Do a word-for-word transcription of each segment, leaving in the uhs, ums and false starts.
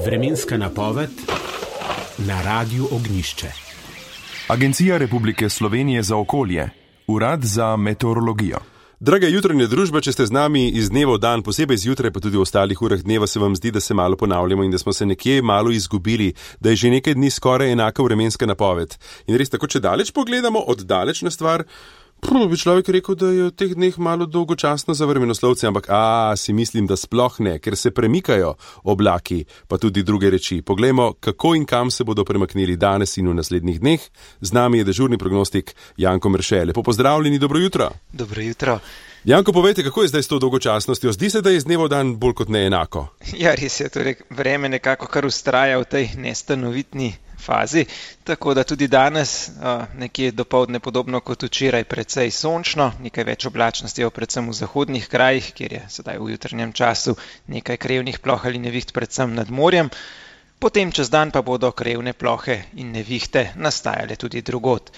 Vremenska napoved na Radiu Ognjišče. Agencija Republike Slovenije za okolje, Urad za meteorologijo. Draga jutranja družba, če ste z nami iz dneva v dan, posebej zjutraj, pa tudi v ostalih urah dneva, se vam zdi, da se malo ponavljamo in da smo se nekje malo izgubili, da je že nekaj dni skoraj enaka vremenska napoved. In res tako, če daleč pogledamo, oddaleč na stvar, prvo bi človek rekel, da je v teh dneh malo dolgočasno za vremenoslovce, ampak a, si mislim, da sploh ne, ker se premikajo oblaki, pa tudi druge reči. Poglejmo, kako in kam se bodo premaknili danes in v naslednjih dneh. Z nami je dežurni prognostik Janko Merše. Lepo pozdravljeni, dobro jutro. Dobro jutro. Janko, povejte, kako je zdaj s to dolgočasnostjo? Zdi se, da je iz dneva v dan bolj kot ne enako. Ja, res je, torej vreme nekako kar ustraja v tej nestanovitni fazi, tako da tudi danes nekje dopoldne podobno kot včeraj precej sončno, nekaj več oblačnosti je predvsem v zahodnih krajih, kjer je sedaj v jutrnjem času nekaj krevnih ploh ali neviht predvsem nad morjem. Potem čez dan pa bodo krevne plohe in nevihte nastajale tudi drugod.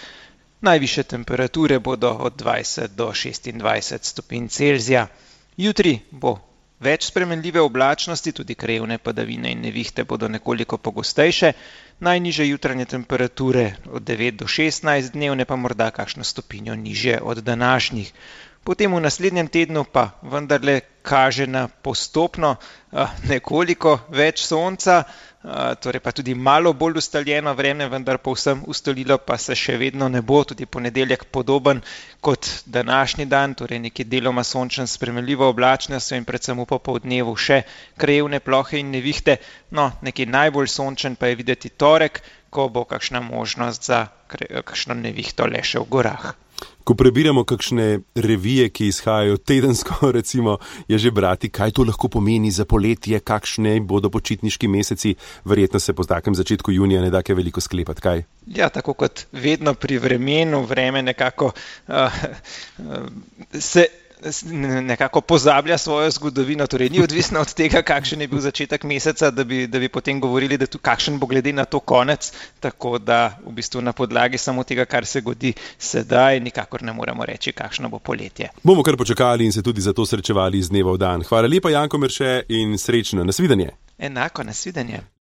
Najvišje temperature bodo od dvajset do šestindvajset stopinj Celzija. Jutri bo več spremenljive oblačnosti, tudi krevne padavine in nevihte bodo nekoliko pogostejše. Najnižje jutranje temperature od devet do šestnajst, dnevne pa morda kakšno stopinjo nižje od današnjih. Potem v naslednjem tednu pa vendarle kaže na postopno nekoliko več sonca, torej pa tudi malo bolj ustaljeno vreme, vendar povsem ustalilo pa se še vedno ne bo, tudi ponedeljek podoben kot današnji dan, torej nekje deloma sončen spremenljivo oblačnostjo in predvsem v popoldnevu še krevne plohe in nevihte. No, nekje najbolj sončen pa je videti torek, ko bo kakšna možnost za kakšno nevihto le še v gorah. Ko prebiramo kakšne revije, ki izhajajo tedensko, recimo, je že brati, kaj to lahko pomeni za poletje, kakšne bodo počitniški meseci, verjetno se po takem začetku junija ne da kaj veliko sklepati, kaj? Ja, tako kot vedno pri vremenu, vreme nekako uh, uh, se nekako pozablja svojo zgodovino, torej ni odvisno od tega, kakšen je bil začetek meseca, da bi, da bi potem govorili, da tu kakšen bo glede na to konec, tako da v bistvu na podlagi samo tega, kar se godi sedaj, nikakor ne moremo reči, kakšno bo poletje. Bomo kar počakali in se tudi zato srečevali iz dneva v dan. Hvala lepa, Janko Merše, in srečno, nasvidenje. Enako, nasvidenje.